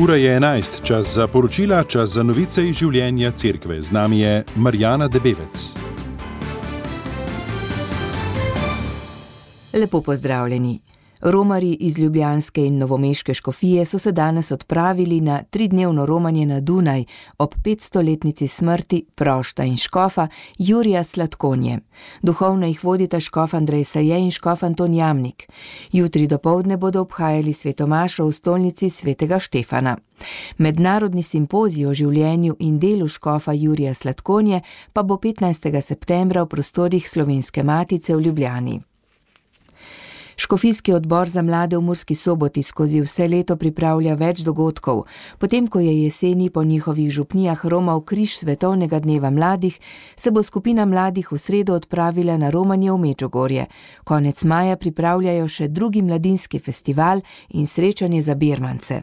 Ura je 11, čas za poročila, čas za novice iz življenja cerkve. Z nami je Marjana Debevec. Lepo pozdravljeni. Romarji iz ljubljanske in novomeške škofije so se danes odpravili na 3-dnevno romanje na Dunaj ob 500-letnici smrti prošta in škofa Jurija Slatkonje. Duhovno jih vodita škof Andrej Saje in škof Anton Jamnik. Jutri dopoldne bodo obhajali svetomašo v stolnici svetega Štefana. Mednarodni simpozij o življenju in delu škofa Jurija Slatkonje pa bo 15. septembra v prostorih Slovenske matice v Ljubljani. Škofijski odbor za mlade v Murski Soboti skozi vse leto pripravlja več dogodkov. Potem, ko je jeseni po njihovih župnijah romal križ svetovnega dneva mladih, se bo skupina mladih v sredo odpravila na romanje v Medžugorje. Konec maja pripravljajo še drugi mladinski festival in srečanje za birmance.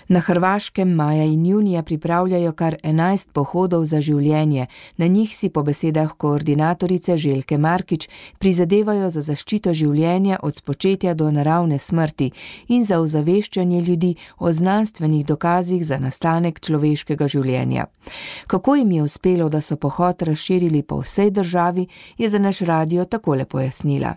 Na Hrvaškem maja in junija pripravljajo kar 11 pohodov za življenje. Na njih si po besedah koordinatorice Željke Markič prizadevajo za zaščito življenja od spočetja do naravne smrti in za ozaveščanje ljudi o znanstvenih dokazih za nastanek človeškega življenja. Kako jim je uspelo, da so pohod razširili po vsej državi, je za naš radio takole pojasnila.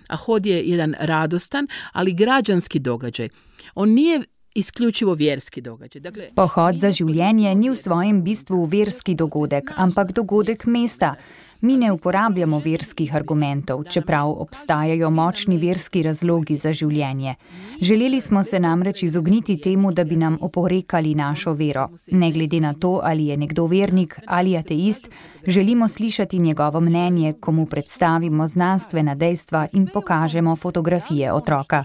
A hod je jedan radostan, ali građanski događaj. On nije isključivo vjerski događaj. Pohod za življenje ni v svojem bistvu verski dogodek, ampak dogodek mesta. Mi ne uporabljamo verskih argumentov, čeprav obstajajo močni verski razlogi za življenje. Želeli smo se namreč izogniti temu, da bi nam oporekali našo vero. Ne glede na to, ali je nekdo vernik ali ateist, želimo slišati njegovo mnenje, ko mu predstavimo znanstvena dejstva in pokažemo fotografije otroka.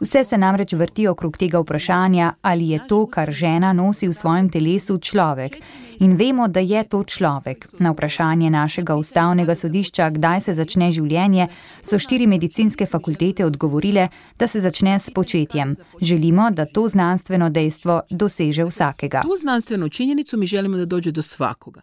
Vse se namreč vrti okrog tega vprašanja, ali je to, kar žena nosi v svojem telesu, človek. In vemo, da je to človek. Na vprašanje našega ustavnega sodišča, kdaj se začne življenje, so 4 medicinske fakultete odgovorile, da se začne s početjem. Želimo, da to znanstveno dejstvo doseže vsakega. Tu znanstveno činjenicu mi želimo, da dođe do svakoga.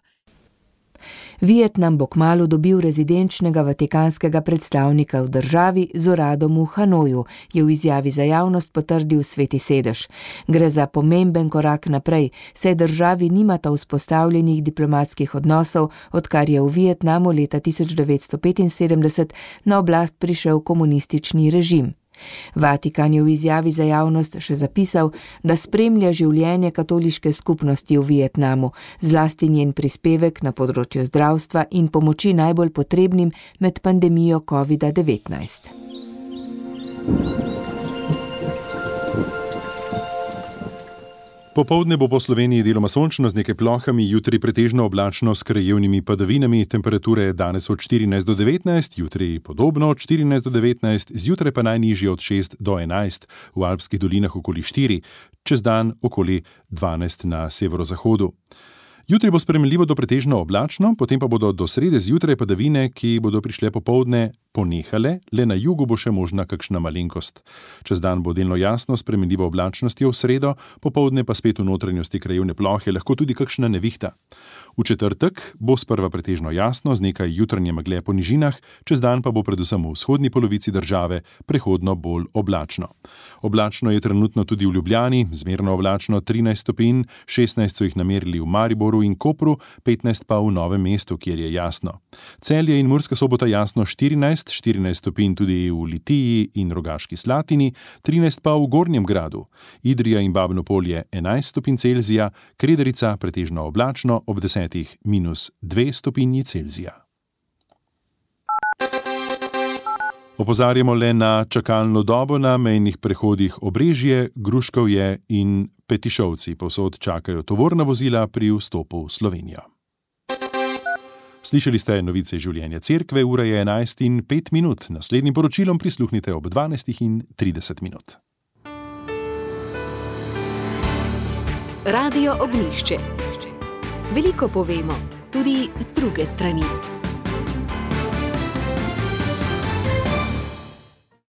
Vietnam bo kmalu dobil rezidenčnega vatikanskega predstavnika v državi z uradom v Hanoju, je v izjavi za javnost potrdil Sveti sedež. Gre za pomemben korak naprej, saj državi nimata vzpostavljenih diplomatskih odnosov, odkar je v Vietnamu leta 1975 na oblast prišel komunistični režim. Vatikan je v izjavi za javnost še zapisal, da spremlja življenje katoliške skupnosti v Vietnamu, zlasti njen prispevek na področju zdravstva in pomoči najbolj potrebnim med pandemijo COVID-19. Popoldne bo po Sloveniji deloma sončno z nekaj plohami, jutri pretežno oblačno s krajevnimi padavinami, temperature danes od 14 do 19, jutri podobno od 14 do 19, zjutraj pa najnižje od 6 do 11, v alpskih dolinah okoli 4, čez dan okoli 12 na severozahodu. Jutri bo sprejemljivo do pretežno oblačno, potem pa bodo do srede zjutraj padavine, ki bodo prišle popoldne, ponehale, le na jugu bo še možna kakšna malenkost. Čez dan bo delno jasno s spremenljivo oblačnostjo v sredo, popoldne pa spet v notranjosti krajevne plohe, lahko tudi kakšna nevihta. V četrtek bo sprva pretežno jasno z nekaj jutranje megle po nižinah, čez dan pa bo predvsem v vzhodni polovici države prehodno bolj oblačno. Oblačno je trenutno tudi v Ljubljani, zmerno oblačno 13 stopinj, 16 so jih namerili v Mariboru in Kopru, 15 pa v Novem mestu, kjer je jasno. Celje in Murska Sobota jasno 14 stopinj tudi v Litiji in Rogaški Slatini, 13 pa v Gornjem Gradu. Idrija in Babno Polje 11 stopinj Celzija, Krederica pretežno oblačno ob 10 -2 stopinji Celzija. Opozarjamo le na čakalno dobo na mejnih prehodih Obrežje, Gruškovje in Petišovci. Povsod čakajo tovorna vozila pri vstopu v Slovenijo. Slišali ste novice življenja cerkve, ura je 11:05. Naslednjim poročilom prisluhnite ob 12:30. Radio Ognjišče. Veliko povemo, tudi z druge strani.